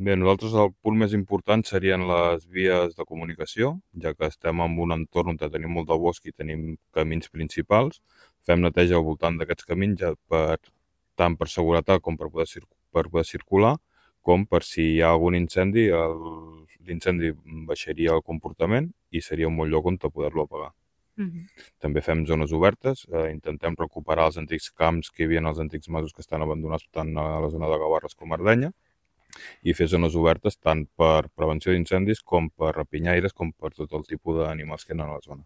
Bé, nosaltres el punt més important serien les vies de comunicació, ja que estem en un entorn on tenim molt de bosc i tenim camins principals. Fem neteja al voltant d'aquests camins, tant per seguretat com per poder circular, com per si hi ha algun incendi, l'incendi baixaria el comportament i seria un bon lloc on poder-lo apagar. També fem zones obertes, intentem recuperar els antics camps que hi havia als antics masos que estan abandonats tant a la zona de Gavarres com a Ardenya, i fer zones obertes tant per prevenció d'incendis com per rapinyaires com per tot el tipus d'animals que hi ha a la zona.